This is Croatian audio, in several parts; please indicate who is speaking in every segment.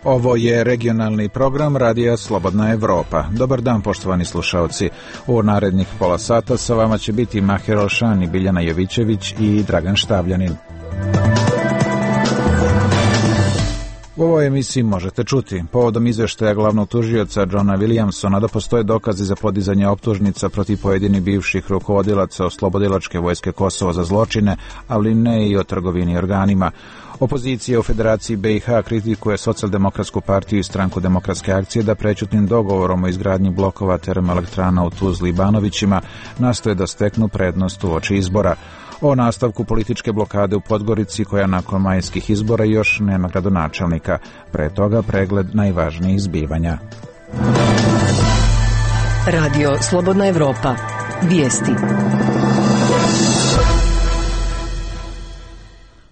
Speaker 1: Ovo je regionalni program Radija Slobodna Evropa. Dobar dan, poštovani slušalci. U narednih pola sata sa vama će biti Maher Olšan, Biljana Jovićević i Dragan Štavljanin. U ovoj emisiji možete čuti povodom izveštaja glavnog tužioca Johna Williamsona da postoje dokazi za podizanje optužnica protiv pojedinih bivših rukovodilaca Oslobodilačke vojske Kosovo za zločine, ali ne i o trgovini organima. Opozicija u Federaciji BiH kritikuje Socijaldemokratsku partiju i Stranku demokratske akcije da prećutnim dogovorom o izgradnji blokova termoelektrana u Tuzli i Banovićima nastoje da steknu prednost uoči izbora. O nastavku političke blokade u Podgorici koja nakon majskih izbora još nema gradonačelnika. Pre toga pregled najvažnijih zbivanja.
Speaker 2: Radio Slobodna Evropa. Vijesti.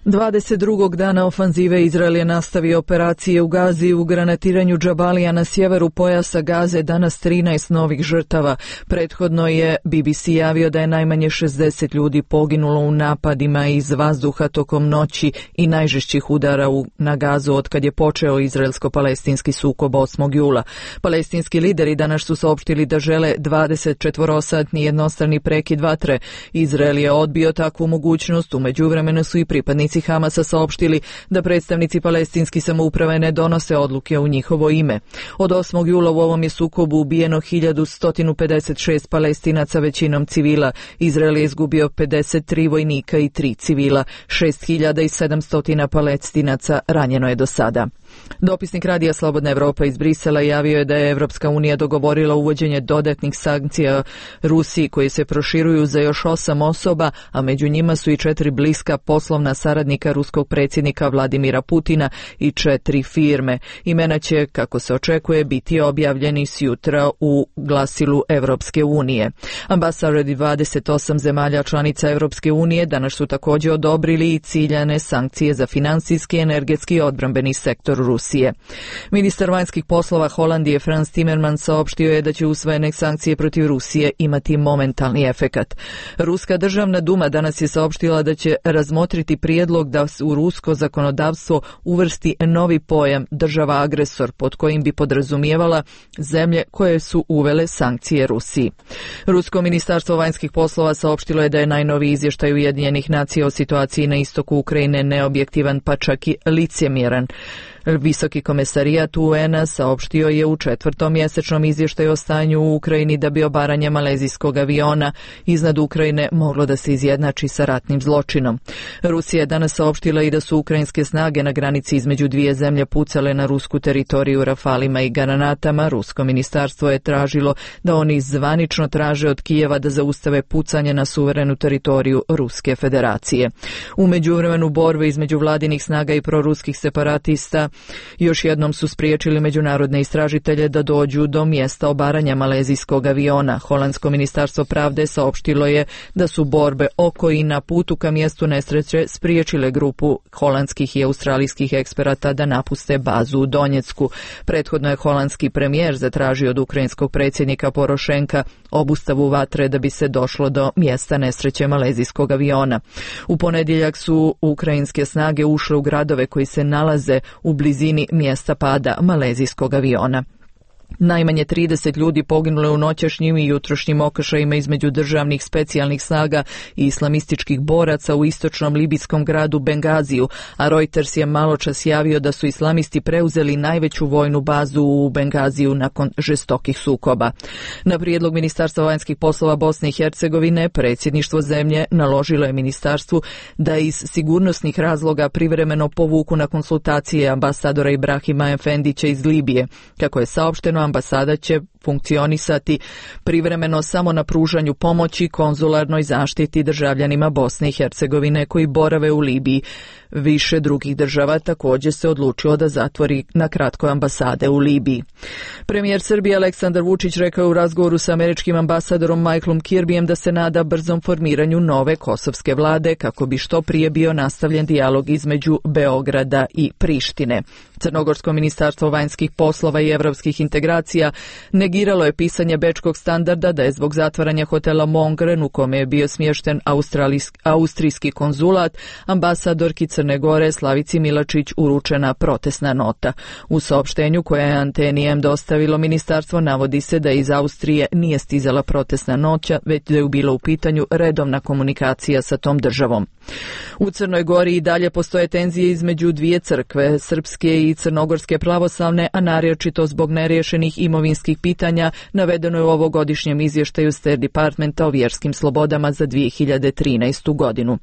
Speaker 2: 22. dana ofanzive Izrael je nastavio operacije u Gazi. U granatiranju Džabalija na sjeveru pojasa Gaze danas 13 novih žrtava. Prethodno je BBC javio da je najmanje 60 ljudi poginulo u napadima iz vazduha tokom noći i najžešćih udara na Gazu otkad je počeo izraelsko-palestinski sukob 8. jula. Palestinski lideri danas su saopštili da žele 24-satni jednostrani prekid vatre. Izrael je odbio takvu mogućnost, u međuvremenu su i pripadnici Hamasa saopštili da predstavnici palestinski samouprave ne donose odluke u njihovo ime. Od 8. jula u ovom je sukobu ubijeno 1156 Palestinaca, većinom civila. Izrael je izgubio 53 vojnika i 3 civila. 6700 Palestinaca ranjeno je do sada. Dopisnik Radija Slobodna Evropa iz Brisela javio je da je Evropska unija dogovorila uvođenje dodatnih sankcija Rusiji koje se proširuju za još 8 osoba, a među njima su i 4 bliska poslovna saradnika ruskog predsjednika Vladimira Putina i 4 firme. Imena će, kako se očekuje, biti objavljeni sjutra u glasilu Evropske unije. Ambasadori 28 zemalja članica Evropske unije danas su također odobrili i ciljane sankcije za finansijski, energetski i odbrambeni sektor Rusije. Ministar vanjskih poslova Holandije Frans Timmermans saopštio je da će usvojene sankcije protiv Rusije imati momentalni efekat. Ruska državna duma danas je saopštila da će razmotriti prijedlog da u rusko zakonodavstvo uvrsti novi pojam država agresor, pod kojim bi podrazumijevala zemlje koje su uvele sankcije Rusiji. Rusko ministarstvo vanjskih poslova saopštilo je da je najnoviji izvještaj Ujedinjenih nacija o situaciji na istoku Ukrajine neobjektivan, pa čak i licemjeran. Visoki komesarijat UN-a saopštio je u 4. mjesečnom izvještaju o stanju u Ukrajini da bi obaranje malezijskog aviona iznad Ukrajine moglo da se izjednači sa ratnim zločinom. Rusija je danas saopštila i da su ukrajinske snage na granici između dvije zemlje pucale na rusku teritoriju rafalima i granatama. Rusko ministarstvo je tražilo da oni zvanično traže od Kijeva da zaustave pucanje na suverenu teritoriju Ruske federacije. U međuvremenu borbe između vladinih snaga i proruskih separatista još jednom su spriječili međunarodne istražitelje da dođu do mjesta obaranja malezijskog aviona. Holandsko ministarstvo pravde saopštilo je da su borbe oko i na putu ka mjestu nesreće spriječile grupu holandskih i australijskih eksperata da napuste bazu u Donjecku. Prethodno je holandski premijer zatražio od ukrajinskog predsjednika Porošenka obustavu vatre da bi se došlo do mjesta nesreće malezijskog aviona. U ponedjeljak su ukrajinske snage ušle u gradove koji se nalaze u blizini mjesta pada malezijskog aviona. Najmanje 30 ljudi poginulo je u noćašnjim i jutrošnjim okršajima između državnih specijalnih snaga i islamističkih boraca u istočnom libijskom gradu Bengaziju, a Reuters je maločas javio da su islamisti preuzeli najveću vojnu bazu u Bengaziju nakon žestokih sukoba. Na prijedlog Ministarstva vanjskih poslova Bosne i Hercegovine, predsjedništvo zemlje naložilo je ministarstvu da iz sigurnosnih razloga privremeno povuku na konsultacije ambasadora Ibrahima Efendića iz Libije. Kako je saopšteno, ambasada će funkcionisati privremeno samo na pružanju pomoći konzularnoj zaštiti državljanima Bosne i Hercegovine koji borave u Libiji. Više drugih država također se odlučilo da zatvori na kratko ambasade u Libiji. Premijer Srbije Aleksandar Vučić rekao u razgovoru sa američkim ambasadorom Michaelom Kirbyjem da se nada brzom formiranju nove kosovske vlade kako bi što prije bio nastavljen dijalog između Beograda i Prištine. Crnogorsko ministarstvo vanjskih poslova i evropskih integracija negiralo negiralo je pisanje bečkog standarda da je zbog zatvaranja hotela Mongren u kome je bio smješten austrijski konzulat ambasadorki Crne Gore Slavici Milačić uručena protestna nota. U saopštenju koje je Anteni M dostavilo ministarstvo navodi se da iz Austrije nije stizala protestna nota, već da je bilo u pitanju redovna komunikacija sa tom državom. U Crnoj Gori i dalje postoje tenzije između dvije crkve, srpske i crnogorske pravoslavne, a naročito zbog neriješenih imovinskih pitanja, navedeno je u ovogodišnjem izvještaju State Departmenta o vjerskim slobodama za 2013. godinu.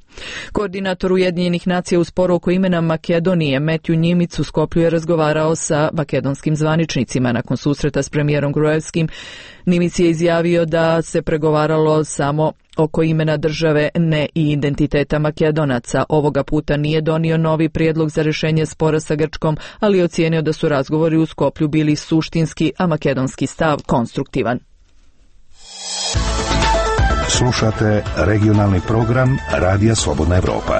Speaker 2: Koordinator Ujedinjenih nacija u sporu oko imena Makedonije, Matthew Njimic, u Skoplju je razgovarao sa makedonskim zvaničnicima nakon susreta s premijerom Gruevskim. Njimic je izjavio da se pregovaralo samo oko imena države, ne i identiteta Makedonaca. Ovoga puta nije donio novi prijedlog za rješenje spora sa Grčkom, ali je ocijenio da su razgovori u Skoplju bili suštinski, a makedonski stav konstruktivan.
Speaker 3: Slušate regionalni program Radija Slobodna Evropa.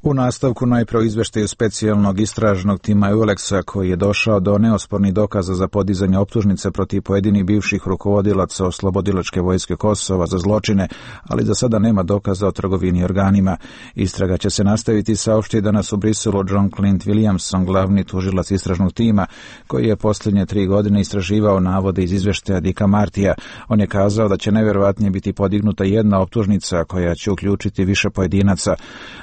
Speaker 1: U nastavku najprije o izveštaju specijalnog istražnog tima EULEX-a koji je došao do neospornih dokaza za podizanje optužnice protiv pojedinih bivših rukovodilaca Oslobodilačke vojske Kosova za zločine, ali za sada nema dokaza o trgovini organima. Istraga će se nastaviti, saopšti danas u Briselu John Clint Williamson, glavni tužilac istražnog tima, koji je posljednje 3 godine istraživao navode iz izveštaja Dicka Martija. On je kazao da će najvjerovatnije biti podignuta jedna optužnica koja će uključiti više pojedinaca.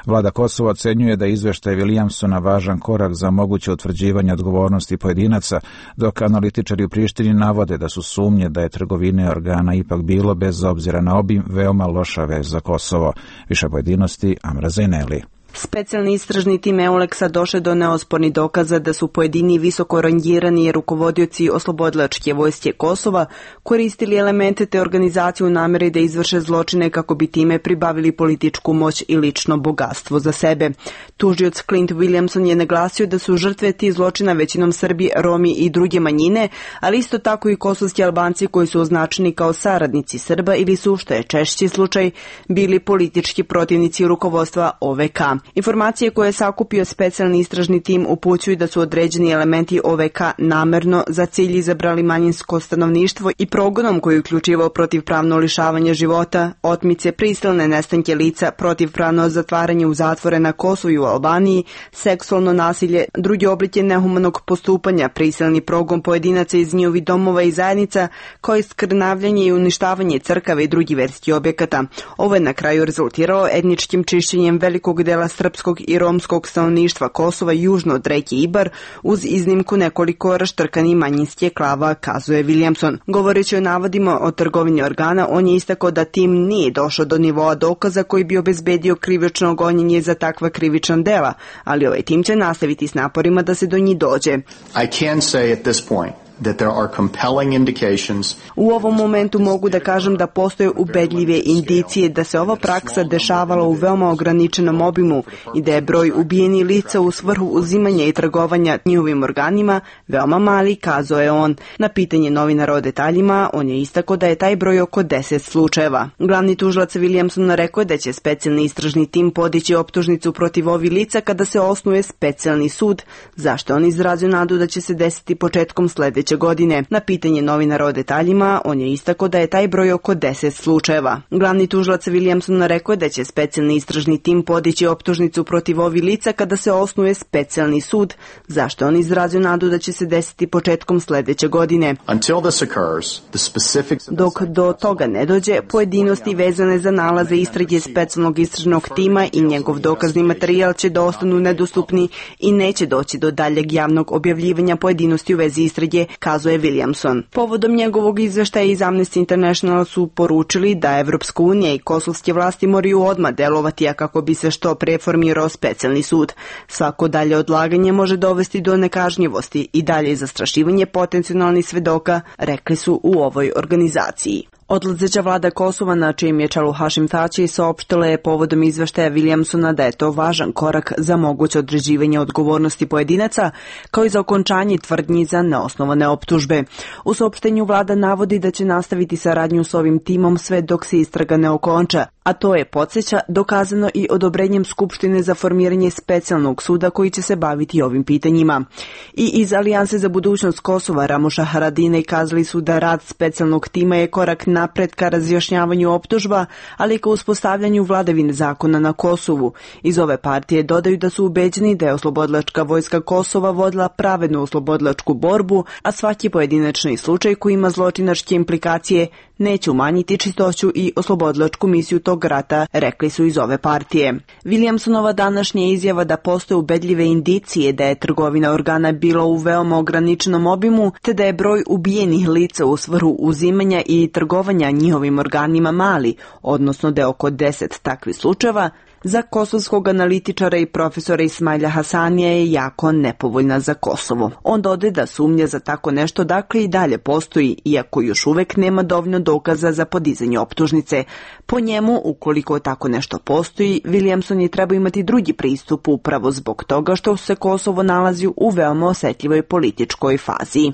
Speaker 1: Vlada Kosova ocenjuje da izveštaj Williamsona važan korak za moguće utvrđivanje odgovornosti pojedinaca, dok analitičari u Prištini navode da su sumnje da je trgovine organa ipak bilo, bez obzira na obim, veoma loša vez za Kosovo. Više pojedinosti Amra Zaineli.
Speaker 4: Specijalni istražni tim EULEX-a došao do neospornih dokaza da su pojedini visoko rangirani rukovodioci Oslobodilačke vojske Kosova koristili elemente te organizacije u namjeri da izvrše zločine kako bi time pribavili političku moć i lično bogatstvo za sebe. Tužioc Clint Williamson je naglasio da su žrtve tih zločina većinom Srbi, Romi i druge manjine, ali isto tako i kosovski Albanci koji su označeni kao saradnici Srba ili su, što je češći slučaj, bili politički protivnici rukovodstva OVK. Informacije koje je sakupio specijalni istražni tim upućuju da su određeni elementi OVK namerno za cilj izabrali manjinsko stanovništvo i progonom koji je uključivao protivpravno lišavanje života, otmice, prisilne nestanke lica, protivpravno zatvaranje u zatvore na Kosovu i u Albaniji, seksualno nasilje, drugi oblike nehumanog postupanja, prisilni progon pojedinaca iz njihovih domova i zajednica, kao i skrnavljanje i uništavanje crkava i drugih verskih objekata. Ovo je na kraju rezultiralo etničkim čišćenjem velikog dela srpskog i romskog stanovništva Kosova južno od reke Ibar, uz iznimku nekoliko raštrkanih manjinskih klava, kazuje Williamson. Govoreći o navodima o trgovini organa, on je istakao da tim nije došao do nivoa dokaza koji bi obezbedio krivično gonjenje za takva krivična dela, ali ovaj tim će nastaviti s naporima da se do njih dođe.
Speaker 5: I can say at this point that there are compelling indications.
Speaker 4: U ovom momentu mogu da kažem da postoje ubedljive indicije da se ova praksa dešavala u veoma ograničenom obimu i da je broj ubijenih lica u svrhu uzimanja i trgovanja njihovim organima veoma mali, kazao je on. Na pitanje novinara o detaljima, on je istakao da je taj broj oko 10 slučajeva. Glavni tužilac Williamson rekao je da će specijalni istražni tim podići optužnicu protiv ovih lica kada se osnuje specijalni sud, zašto on izrazio nadu da će se desiti početkom sljedeće godine. Na pitanje novinara o detaljima, on je istakao da je taj broj oko 10 slučajeva. Glavni tužilac Williamson rekao je da će specijalni istražni tim podići optužnicu protiv ovih lica kada se osnuje specijalni sud, zašto on izrazio nadu da će se desiti početkom sljedeće godine. Dok do toga ne dođe, pojedinosti vezane za nalaze istrage specijalnog istražnog tima i njegov dokazni materijal će da ostanu nedostupni i neće doći do daljeg javnog objavljivanja pojedinosti u vezi istrage, kazuje Williamson. Povodom njegovog izveštaja iz Amnesty International su poručili da Evropska unija i kosovske vlasti moraju odmah delovati, a kako bi se što pre formirao specijalni sud. Svako dalje odlaganje može dovesti do nekažnjivosti i dalje zastrašivanje potencijalnih svedoka, rekli su u ovoj organizaciji. Odlazeća vlada Kosova, na čijem je čelu Hašim Tači, saopštila je povodom izveštaja Williamsona da je to važan korak za moguće određivanje odgovornosti pojedinaca, kao i za okončanje tvrdnji za neosnovane optužbe. U saopštenju vlada navodi da će nastaviti saradnju s ovim timom sve dok se istraga ne okonča, a to je, podsjeća, dokazano i odobrenjem Skupštine za formiranje specijalnog suda koji će se baviti ovim pitanjima. I iz Alijanse za budućnost Kosova, Ramuša Haradinaj, kazali su da rad specijalnog tima je korak napred ka razjašnjavanju optužba, ali i ka uspostavljanju vladavine zakona na Kosovu. Iz ove partije dodaju da su ubeđeni da je oslobodilačka vojska Kosova vodila pravednu oslobodilačku borbu, a svaki pojedinačni slučaj koji ima zločinačke implikacije neće umanjiti čistoću i oslobodilačku misiju tog rata, rekli su iz ove partije. Williamsonova današnja izjava da postoje ubedljive indicije da je trgovina organa bila u veoma ograničenom obimu, te da je broj ubijenih lica u svrhu uzimanja i trgovanja njihovim organima mali, odnosno da je oko 10 takvih slučajeva, za kosovskog analitičara i profesora Ismaila Hasanija je jako nepovoljna za Kosovo. On dodaje da sumnja za tako nešto dakle i dalje postoji, iako još uvek nema dovoljno dokaza za podizanje optužnice. Po njemu, ukoliko tako nešto postoji, Williamson je treba imati drugi pristup upravo zbog toga što se Kosovo nalazi u veoma osetljivoj političkoj fazi.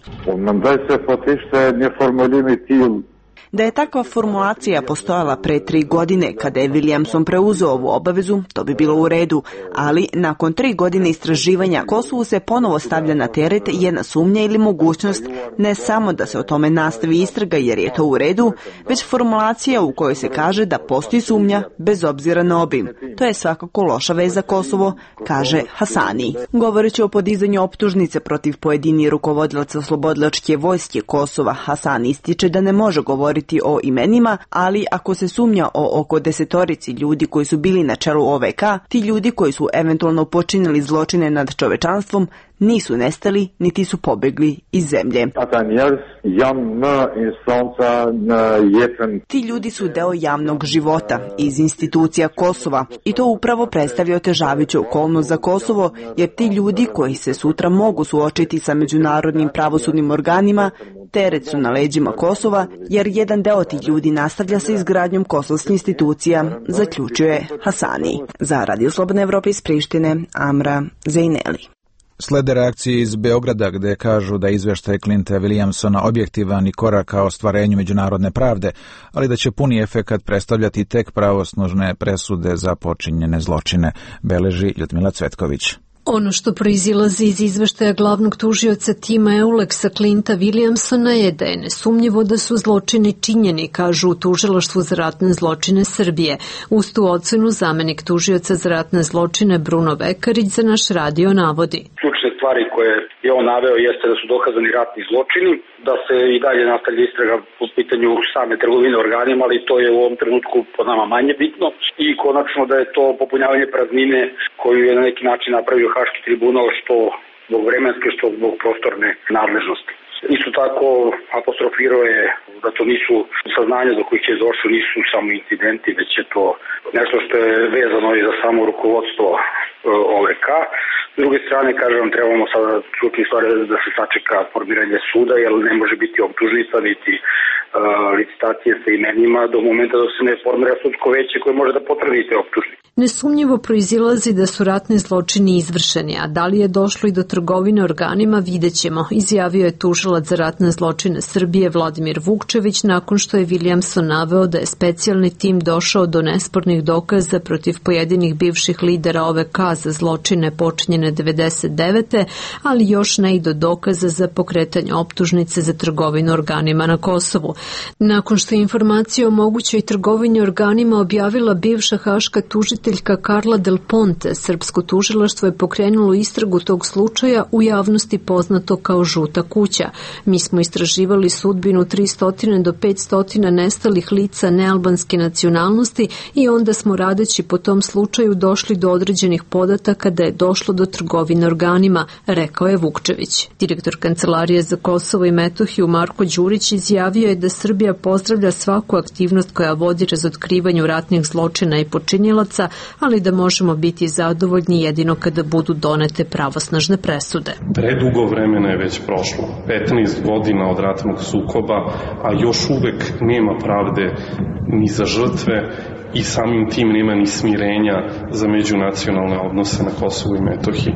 Speaker 4: Da je takva formulacija postojala pre 3 godine kada je Williamson preuzeo ovu obavezu, to bi bilo u redu, ali nakon 3 godine istraživanja Kosovu se ponovo stavlja na teret jedna sumnja ili mogućnost ne samo da se o tome nastavi istraga jer je to u redu, već formulacija u kojoj se kaže da postoji sumnja bez obzira na obim. To je svakako loša vez za Kosovo, kaže Hasani. Govoreći o podizanju optužnice protiv pojedini rukovodilaca oslobodilačke vojske Kosova, Hasani ističe da ne može govoriti o imenima, ali ako se sumnja o oko 10 ljudi koji su bili na čelu OVK, ti ljudi koji su eventualno počinili zločine nad čovečanstvom nisu nestali, niti su pobegli iz zemlje. Ti ljudi su deo javnog života, iz institucija Kosova, i to upravo predstavlja otežavajuću okolnost za Kosovo, jer ti ljudi koji se sutra mogu suočiti sa međunarodnim pravosudnim organima, teret su na leđima Kosova, jer jedan deo tih ljudi nastavlja sa izgradnjom kosovskih institucija, zaključuje Hasani. Za Radio Slobodne Evrope iz Prištine, Amra Zejneli.
Speaker 1: Slede reakcije iz Beograda gde kažu da je izveštaj Clinta Williamsona objektivan i korak ka ostvarenju međunarodne pravde, ali da će puni efekat predstavljati tek pravosnažne presude za počinjene zločine, beleži Ljudmila Cvetković.
Speaker 6: Ono što proizilazi iz izveštaja glavnog tužioca tima Euleksa Clinta Williamsona je da je nesumnjivo da su zločini činjeni, kažu u tužilaštvu za ratne zločine Srbije. Uz tu ocenu zamenik tužioca za ratne zločine Bruno Vekarić za naš radio navodi.
Speaker 7: Ključne stvari koje je on naveo jeste da su dokazani ratni zločini, da se i dalje nastavlja istraga po pitanju same trgovine organima, ali to je u ovom trenutku po nama manje bitno, i konačno da je to popunjavanje praznine koju je na neki način napravio Haški tribunal, što zbog vremenske, što zbog prostorne nadležnosti. Isto tako apostrofirao je da to nisu saznanja do kojih je došlo, nisu samo incidenti, već je to nešto što je vezano i za samo rukovodstvo OVK. S druge strane, kažem, trebamo sada čuti stvari da se sačeka formiranje suda, jer ne može biti optužnica niti licitacije sa imenima do momenta da se ne formira sudsko veće koje može da potvrdi te optužnice.
Speaker 6: Nesumnjivo proizilazi da su ratni zločini izvršeni, a da li je došlo i do trgovine organima vidjet ćemo, izjavio je tužilac za ratne zločine Srbije Vladimir Vukčević nakon što je Williamson naveo da je specijalni tim došao do nespornih dokaza protiv pojedinih bivših lidera OVK za zločine počinjene 99. ali još ne i do dokaza za pokretanje optužnice za trgovinu organima na Kosovu. Nakon što je informacija o mogućoj trgovini organima objavila bivša haška tužiteljka Carla Del Ponte, srpsko tužilaštvo je pokrenulo istragu tog slučaja, u javnosti poznato kao Žuta kuća. Mi smo istraživali sudbinu 300 do 500 nestalih lica nealbanske nacionalnosti i onda smo radeći po tom slučaju došli do određenih podataka da je došlo do trgovine organima, rekao je Vukčević. Direktor Kancelarije za Kosovo i Metohiju Marko Đurić izjavio je da Srbija pozdravlja svaku aktivnost koja vodi razotkrivanju ratnih zločina i počinilaca, ali da možemo biti zadovoljni jedino kada budu donete pravosnažne presude.
Speaker 8: Predugo vremena je već prošlo, 15 godina od ratnog sukoba, a još uvek nema pravde ni za žrtve i samim tim nema ni smirenja za međunacionalne odnose na Kosovu i Metohiji.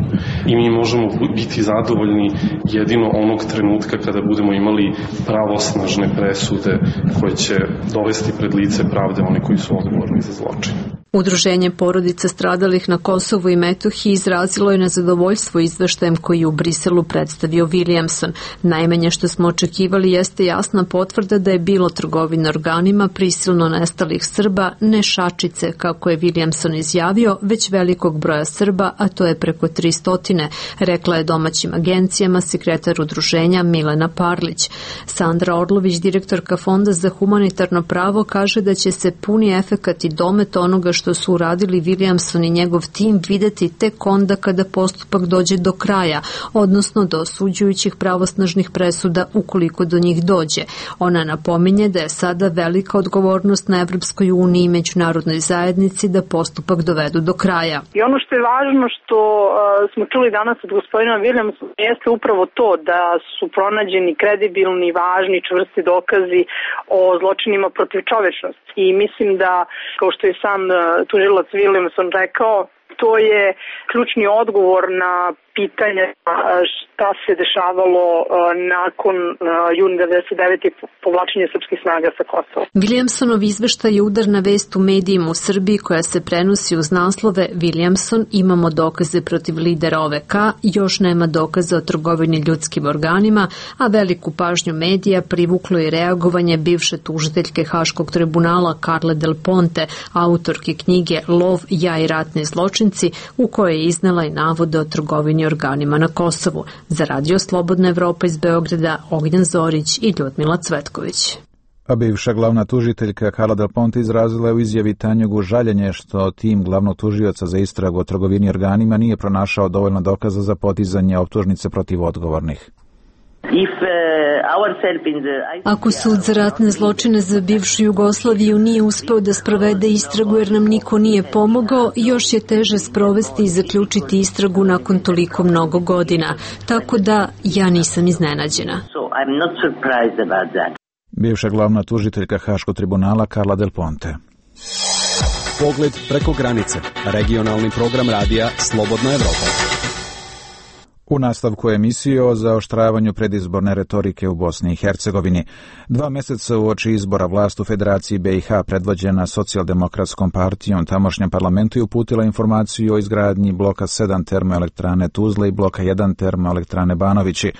Speaker 8: I mi možemo biti zadovoljni jedino onog trenutka kada budemo imali pravosnažne presude koje će dovesti pred lice pravde oni koji su odgovorni za zločin.
Speaker 6: Udruženje porodica stradalih na Kosovu i Metohiji izrazilo je nezadovoljstvo izveštajem koji je u Briselu predstavio Williamson. Najmanje što smo očekivali jeste jasna potvrda da je bilo trgovine organima prisilno nestalih Srba, ne šačice, kako je Williamson izjavio, već velikog broja Srba, a to je preko 300, rekla je domaćim agencijama sekretar udruženja Milena Parlić. Sandra Orlović, direktorka Fonda za humanitarno pravo, kaže da će se puni efekat i domet onoga što su uradili Williamson i njegov tim videti tek onda kada postupak dođe do kraja, odnosno do osuđujućih pravosnažnih presuda ukoliko do njih dođe. Ona napominje da je sada velika odgovornost na Evropskoj uniji i međunarodnoj zajednici da postupak dovedu do kraja.
Speaker 9: I ono što je važno što smo čuli danas od gospodina Williamsona jeste upravo to da su pronađeni kredibilni, važni, čvrsti dokazi o zločinima protiv čovečnosti. I mislim da, kao što je sam tužilac Williamson rekao, to je ključni odgovor na pitanje šta se dešavalo nakon juna 99. povlačenja srpskih snaga sa Kosova.
Speaker 6: Williamsonov izveštaj je udarna vest u medijima u Srbiji koja se prenosi uz naslove Williamson, imamo dokaze protiv lidera OVK, još nema dokaza o trgovini ljudskim organima, a veliku pažnju medija privuklo je reagovanje bivše tužiteljke Haškog tribunala Carle Del Ponte, autorke knjige Lov, ja i ratni zločinci, u kojoj je iznela i navode o trgovini organima na Kosovu. Za Radio Slobodna Evropa iz Beograda, Ognjen Zorić i Ljudmila Cvetković.
Speaker 1: A bivša glavna tužiteljka Carla Del Ponte izrazila je u izjavi Tanjugu žaljenje što tim glavnog tužioca za istragu o trgovini organima nije pronašao dovoljno dokaza za podizanje optužnice protiv odgovornih.
Speaker 6: Ako sud za ratne zločine za bivšu Jugoslaviju nije uspeo da sprovede istragu jer nam niko nije pomogao, još je teže sprovesti i zaključiti istragu nakon toliko mnogo godina. Tako da ja nisam iznenađena.
Speaker 1: Bivša glavna tužiteljka Haškog tribunala Carla Del Ponte.
Speaker 10: Pogled preko granice. Regionalni program radija Slobodna Evropa.
Speaker 1: U nastavku emisije o zaoštravanju predizborne retorike u Bosni i Hercegovini. 2 meseca uoči izbora vlast u Federaciji BiH predvođena Socijaldemokratskom partijom tamošnjem parlamentu je uputila informaciju o izgradnji bloka 7 termoelektrane Tuzla i bloka 1 termoelektrane Banovići.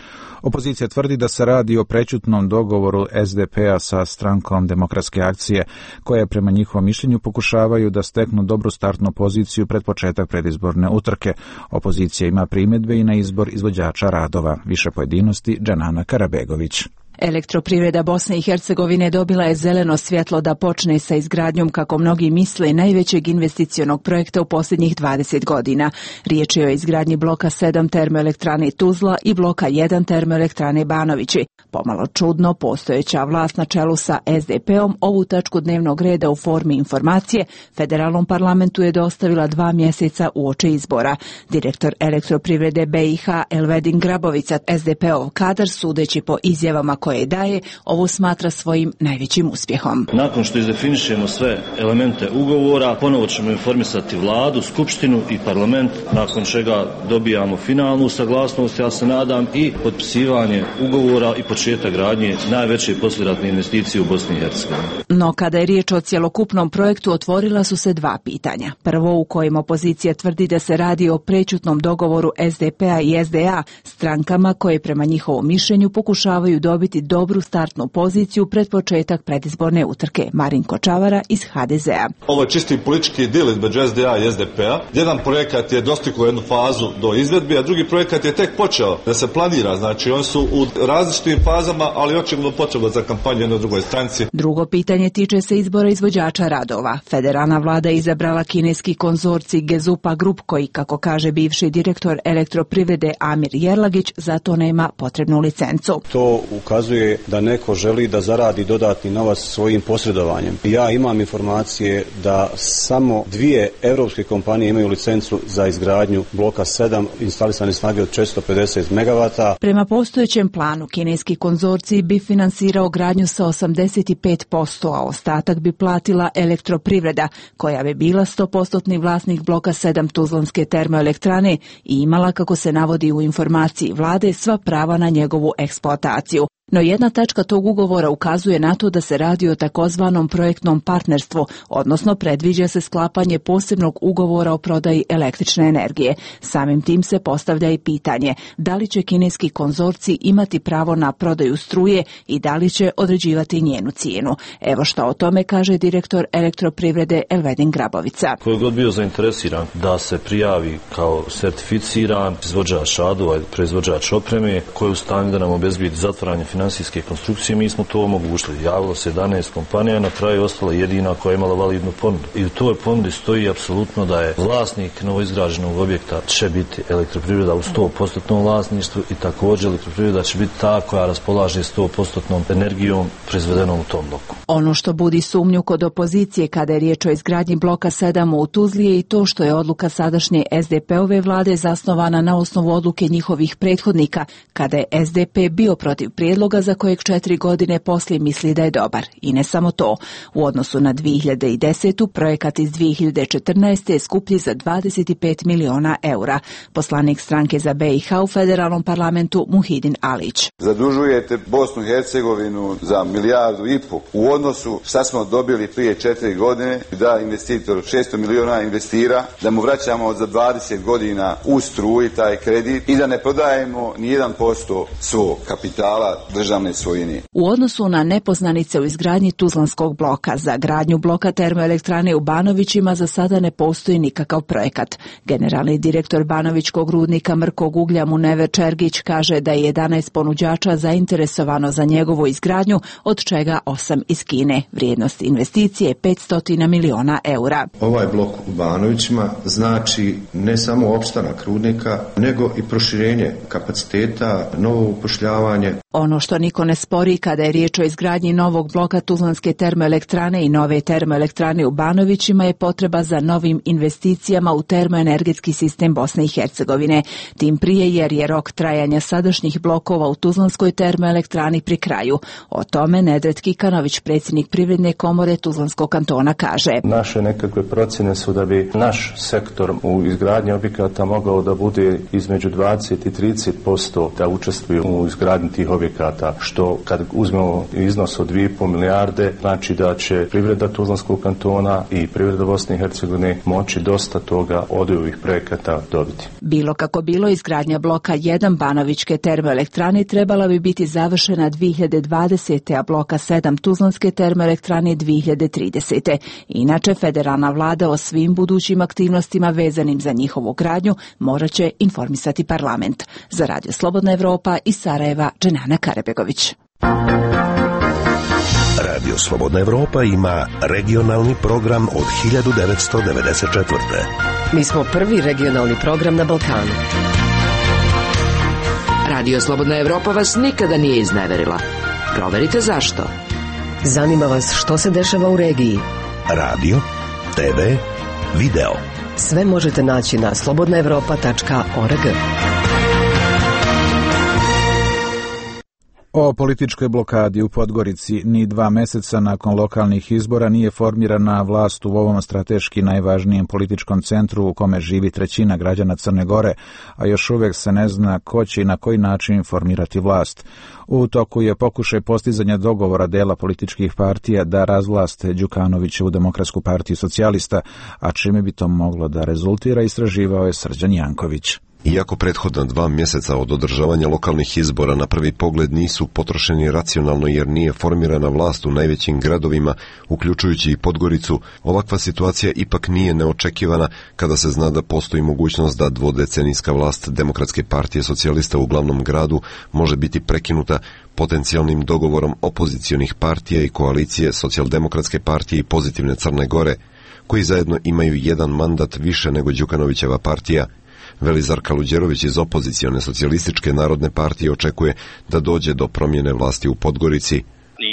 Speaker 1: Opozicija tvrdi da se radi o prećutnom dogovoru SDP-a sa strankom Demokratske akcije, koje prema njihovom mišljenju pokušavaju da steknu dobru startnu poziciju pred početak predizborne utrke. Opozicija ima primjedbe i na izbor izvođača radova. Više pojedinosti Džanana Karabegović.
Speaker 11: Elektroprivreda Bosne i Hercegovine dobila je zeleno svjetlo da počne sa izgradnjom, kako mnogi misle, najvećeg investicionog projekta u posljednjih 20 godina. Riječ je o izgradnji bloka 7 termoelektrane Tuzla i bloka 1 termoelektrane Banovići. Pomalo čudno, postojeća vlast na čelu sa SDP-om ovu tačku dnevnog reda u formi informacije federalnom parlamentu je dostavila 2 mjeseca uoči izbora. Direktor Elektroprivrede BiH Elvedin Grabovica, SDP-ov kadar, sudeći po izjavama koje daje, ovo smatra svojim najvećim uspjehom.
Speaker 12: Nakon što izdefinišemo sve elemente ugovora, ponovo ćemo informisati vladu, skupštinu i parlament, nakon čega dobijamo finalnu saglasnost, ja se nadam, i potpisivanje ugovora i početak gradnje najveće poslijeratne investicije u Bosni i Hercegovini.
Speaker 11: No kada je riječ o cjelokupnom projektu, otvorila su se 2 pitanja. Prvo, u kojem opozicija tvrdi da se radi o prećutnom dogovoru SDP-a i SDA, strankama koje prema njihovom mišljenju pokušavaju dobiti dobru startnu poziciju pred početak predizborne utrke. Marinko Čavara iz HDZ-a.
Speaker 13: Ovo je čisti politički dil između SDA i SDP-a. Jedan projekat je dostigao jednu fazu do izvedbe, a drugi projekat je tek počeo da se planira. Znači, oni su u različitim fazama, ali očigledno potreba za kampanju jednoj drugoj stranci.
Speaker 11: Drugo pitanje tiče se izbora izvođača radova. Federalna vlada je izabrala kineski konzorcij Gezupa Group, koji, kako kaže bivši direktor Elektroprivrede Amir Jerlagić, za to nema potrebnu licencu.
Speaker 14: To ukazuje ukazuje da neko želi da zaradi dodatni novac svojim posredovanjem. Ja imam informacije da samo 2 europske kompanije imaju licencu za izgradnju bloka 7 instalisane snage od 450 MW.
Speaker 11: Prema postojećem planu, kineski konzorcij bi finansirao gradnju sa 85%, a ostatak bi platila Elektroprivreda, koja bi bila 100% vlasnik bloka 7 Tuzlanske termoelektrane i imala, kako se navodi u informaciji vlade, sva prava na njegovu eksploataciju. No jedna tačka tog ugovora ukazuje na to da se radi o takozvanom projektnom partnerstvu, odnosno predviđa se sklapanje posebnog ugovora o prodaji električne energije. Samim tim se postavlja i pitanje da li će kineski konzorcij imati pravo na prodaju struje i da li će određivati njenu cijenu. Evo što o tome kaže direktor Elektroprivrede Elvedin Grabovica.
Speaker 12: Ko je god bio zainteresiran da se prijavi kao certificiran izvođač radova, proizvođač opreme, koji je u stanju da nam obezbijedi zatvaranje finansijske konstrukcije, mi smo to omogućili. Javilo se 11 kompanija, na kraju ostala jedina koja je imala validnu ponudu. I u toj ponudi stoji apsolutno da je vlasnik novoizgrađenog objekta će biti Elektroprivreda u 100% vlasništvu i također Elektroprivreda će biti ta koja raspolaže 100% energijom proizvedenom u tom bloku.
Speaker 11: Ono što budi sumnju kod opozicije kada je riječ o izgradnji bloka 7 u Tuzli je i to što je odluka sadašnje SDP-ove vlade zasnovana na osnovu odluke njihovih prethodnika, kada je SDP bio protiv prijedloga za kojeg 4 godine poslije misli da je dobar. I ne samo to. U odnosu na 2010. projekat iz 2014. je skuplji za 25 miliona eura. Poslanik stranke za BiH u federalnom parlamentu Muhidin Alić.
Speaker 15: Zadužujete Bosnu i Hercegovinu za 1,5 milijardu u odnosu šta smo dobili prije 4 godine, da investitor 600 miliona investira, da mu vraćamo za 20 godina u struji taj kredit i da ne prodajemo ni 1% svog kapitala državne svojine.
Speaker 11: U odnosu na nepoznanice u izgradnji Tuzlanskog bloka, za gradnju bloka termoelektrane u Banovićima za sada ne postoji nikakav projekat. Generalni direktor Banovićkog rudnika mrkog uglja Munever Čergić kaže da je 11 ponuđača zainteresovano za njegovu izgradnju, od čega 8 iz Kine. Vrijednost investicije 500 miliona eura.
Speaker 16: Ovaj blok u Banovićima znači ne samo opstanak rudnika, nego i proširenje kapaciteta, novo upošljavanje.
Speaker 11: Ono što niko ne spori kada je riječ o izgradnji novog bloka Tuzlanske termoelektrane i nove termoelektrane u Banovićima je potreba za novim investicijama u termoenergetski sistem Bosne i Hercegovine. Tim prije jer je rok trajanja sadašnjih blokova u Tuzlanskoj termoelektrani pri kraju. O tome Nedret Kikanović, predsjednik Privredne komore Tuzlanskog kantona, kaže.
Speaker 17: Naše nekakve procjene su da bi naš sektor u izgradnji objekata mogao da bude između 20 i 30% da učestvuju u izgradnji tih objekata, što kad uzmemo iznos od 2,5 milijarde, znači da će privreda Tuzlanskog kantona i privreda Bosne i Hercegovine moći dosta toga od ovih projekata dobiti.
Speaker 11: Bilo kako bilo, izgradnja bloka 1 Banovićke termoelektrane trebala bi biti završena 2020. a bloka 7 Tuzlanske termoelektrane 2030. Inače, federalna vlada o svim budućim aktivnostima vezanim za njihovu gradnju morat će informisati parlament. Za Radio Slobodna Evropa iz Sarajeva, Dženana Karebegović.
Speaker 3: Radio Slobodna Evropa ima regionalni program od 1994.
Speaker 18: Mi smo prvi regionalni program na Balkanu. Radio Slobodna Evropa vas nikada nije izneverila. Proverite zašto. Zanima vas što se dešava u regiji.
Speaker 3: Radio, TV, video.
Speaker 18: Sve možete naći na slobodnaevropa.org.
Speaker 1: O političkoj blokadi u Podgorici ni 2 meseca nakon lokalnih izbora nije formirana vlast u ovom strateški najvažnijem političkom centru u kome živi 1/3 građana Crne Gore, a još uvijek se ne zna ko će i na koji način formirati vlast. U toku je pokušaj postizanja dogovora dela političkih partija da razvlaste Đukanovićevu Demokratsku partiju socijalista, a čime bi to moglo da rezultira, istraživao je Srđan Janković.
Speaker 19: Iako prethodna 2 mjeseca od održavanja lokalnih izbora na prvi pogled nisu potrošeni racionalno jer nije formirana vlast u najvećim gradovima, uključujući i Podgoricu, ovakva situacija ipak nije neočekivana kada se zna da postoji mogućnost da dvodecenijska vlast Demokratske partije socijalista u glavnom gradu može biti prekinuta potencijalnim dogovorom opozicionih partija i koalicije Socijaldemokratske partije i Pozitivne Crne Gore, koji zajedno imaju 1 mandat više nego Đukanovićeva partija. Velizar Kaluđerović iz opozicione socijalističke narodne partije očekuje da dođe do promjene vlasti u Podgorici.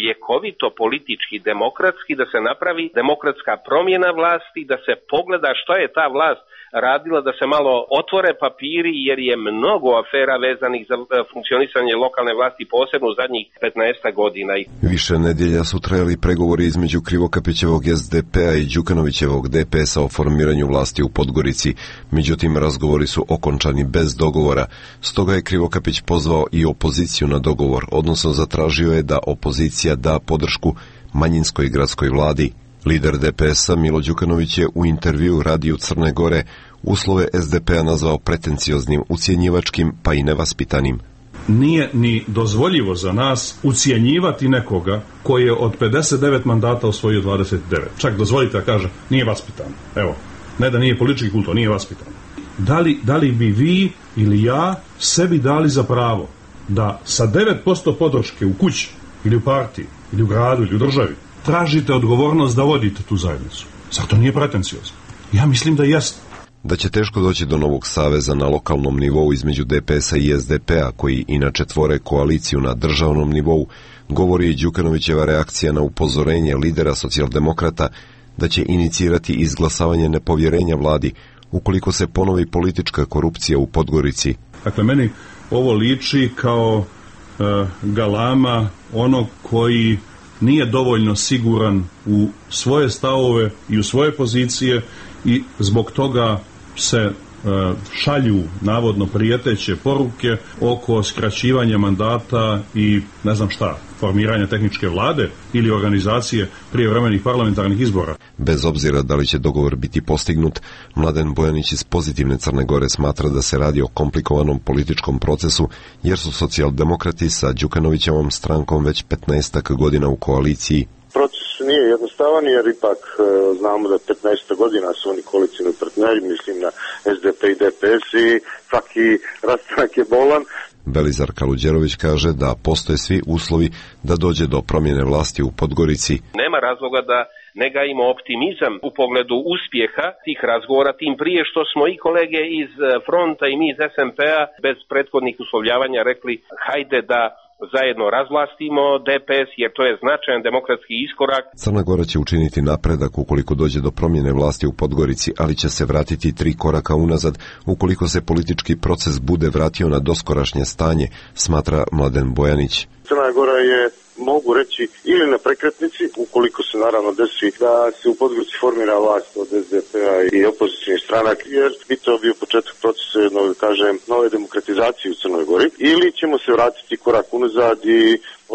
Speaker 20: Ljekovito, politički, demokratski, da se napravi demokratska promjena vlasti, da se pogleda što je ta vlast radila, da se malo otvore papiri, jer je mnogo afera vezanih za funkcionisanje lokalne vlasti, posebno u zadnjih 15 godina.
Speaker 19: Više nedjelja su trajali pregovori između Krivokapićevog SDP-a i Đukanovićevog DPS-a o formiranju vlasti u Podgorici. Međutim, razgovori su okončani bez dogovora. Stoga je Krivokapić pozvao i opoziciju na dogovor, odnosno zatražio je da opozicija da podršku manjinskoj gradskoj vladi. Lider DPS-a Milo Đukanović je u intervju Radiju Crne Gore uslove SDP-a nazvao pretencioznim, ucjenjivačkim pa i nevaspitanim.
Speaker 21: Nije ni dozvoljivo za nas ucjenjivati nekoga koji je od 59 mandata osvojio 29. Čak dozvolite da kaže nije vaspitan. Evo, ne da nije politički kulto, nije vaspitan. Da li bi vi ili ja sebi dali za pravo da sa 9% podrške u kući ili u partiji ili u gradu ili u državi tražite odgovornost da vodite tu zajednicu? Zar to nije pretenciozno? Ja mislim da jest.
Speaker 19: Da će teško doći do novog saveza na lokalnom nivou između DPS-a i SDP-a, koji inače tvore koaliciju na državnom nivou, govori i Đukanovićeva reakcija na upozorenje lidera socijaldemokrata da će inicirati izglasavanje nepovjerenja vladi ukoliko se ponovi politička korupcija u Podgorici.
Speaker 21: Dakle, meni ovo liči kao galama onog koji nije dovoljno siguran u svoje stavove i u svoje pozicije i zbog toga se šalju navodno prijeteće poruke oko skraćivanja mandata i ne znam šta, formiranja tehničke vlade ili organizacije prijevremenih parlamentarnih izbora.
Speaker 19: Bez obzira da li će dogovor biti postignut, Mladen Bojanić iz Pozitivne Crne Gore smatra da se radi o komplikovanom političkom procesu, jer su socijaldemokrati sa Đukanovićevom strankom već 15 godina u koaliciji.
Speaker 22: Proces nije jednostavan jer ipak znamo da 15 godina su oni koalicijni partneri, mislim na SDP i DPS i svaki rastanak je bolan.
Speaker 19: Velizar Kaluđerović kaže da postoje svi uslovi da dođe do promjene vlasti u Podgorici.
Speaker 20: Nema razloga da ne gajimo optimizam u pogledu uspjeha tih razgovora, tim prije što smo i kolege iz fronta i mi iz SMP-a bez prethodnih uslovljavanja rekli hajde da zajedno razvlastimo DPS, jer to je značajan demokratski iskorak.
Speaker 19: Crna Gora će učiniti napredak ukoliko dođe do promjene vlasti u Podgorici, ali će se vratiti 3 koraka unazad ukoliko se politički proces bude vratio na doskorašnje stanje, smatra Mladen Bojanić.
Speaker 22: Crna Gora je, mogu reći, ili na prekretnici, ukoliko se naravno desi da se u Podgorici formira vlast od SDP-a i opozicijnih stranak, jer bi to bio početak procesa jednog, nove demokratizacije u Crnoj Gori, ili ćemo se vratiti korak unazad i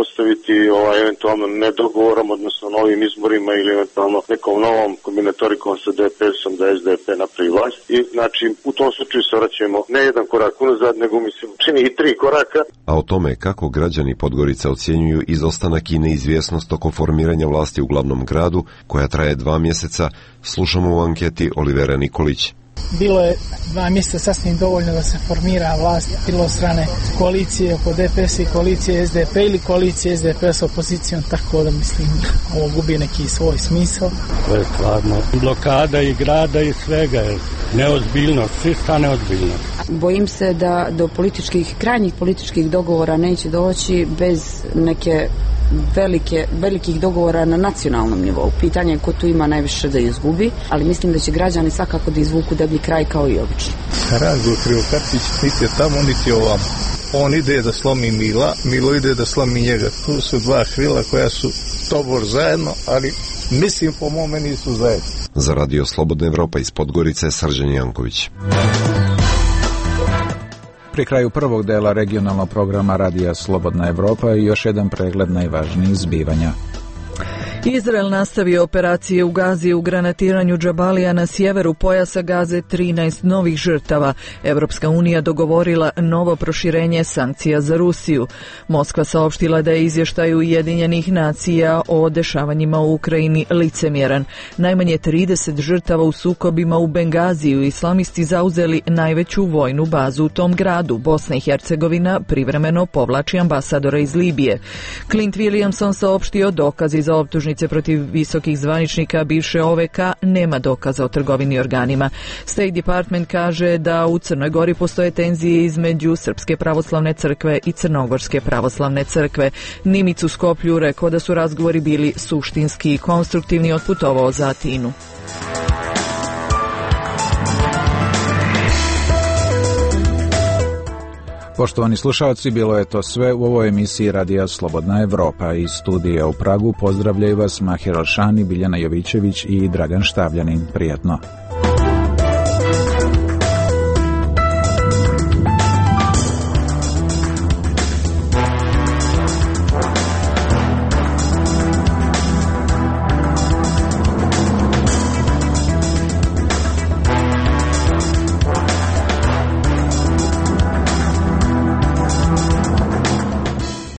Speaker 22: ostaviti eventualno nedogovorom, odnosno novim izborima ili eventualno nekom novom kombinatorikom sa DPS-om da SDP napravi vlast. I znači u tom slučaju se vraćamo ne jedan korak unazad, nego mislim čini i 3 koraka.
Speaker 19: A o tome kako građani Podgorica ocjenjuju izostanak i neizvjesnost oko formiranja vlasti u glavnom gradu, koja traje 2 mjeseca, slušamo u anketi Olivera Nikolić.
Speaker 23: Bilo je 2 mjeseca sasvim dovoljno da se formira vlast, bilo od strane koalicije oko DPS i koalicije SDP ili koalicije SDP s opozicijom, tako da mislim ovo gubi neki svoj smisao.
Speaker 24: To je stvarno blokada i grada i svega, neozbiljnost, čista neozbiljnost.
Speaker 25: Bojim se da do krajnjih političkih dogovora neće doći bez neke velikih dogovora na nacionalnom nivou. Pitanje je ko tu ima najviše da izgubi, ali mislim da će građani svakako da izvuku deblji kraj kao i obično.
Speaker 26: Razgovor Krivokapić niti je tamo, niti je ovamo. On ide da slomi Milo ide da slomi njega. Tu su 2 krila koja su tobor zajedno, ali mislim po mome nisu zajedno.
Speaker 19: Za Radio Slobodna Evropa iz Podgorice, Srđan Janković.
Speaker 1: Pri kraju prvog dela regionalnog programa Radija Slobodna Evropa i još jedan pregled najvažnijih zbivanja.
Speaker 2: Izrael nastavio operacije u Gazi u granatiranju Džabalija na sjeveru pojasa Gaze, 13 novih žrtava. Evropska unija dogovorila novo proširenje sankcija za Rusiju. Moskva saopštila da je izvještaj Ujedinjenih nacija o dešavanjima u Ukrajini licemjeran. Najmanje 30 žrtava u sukobima u Bengaziju islamisti zauzeli najveću vojnu bazu u tom gradu. Bosna i Hercegovina privremeno povlači ambasadora iz Libije. Clint Williamson saopštio dokazi za optužnicu optužnice protiv visokih zvaničnika bivše OVK nema dokaza o trgovini organima. State Department kaže da u Crnoj Gori postoje tenzije između Srpske pravoslavne crkve i Crnogorske pravoslavne crkve. Nimic u Skoplju rekao da su razgovori bili suštinski i konstruktivni, otputovao za Atinu.
Speaker 1: Poštovani slušalci, bilo je to sve u ovoj emisiji Radija Slobodna Evropa. Iz studija u Pragu pozdravljaju vas Mahir Alšani, Biljana Jovićević i Dragan Štavljanin. Prijatno.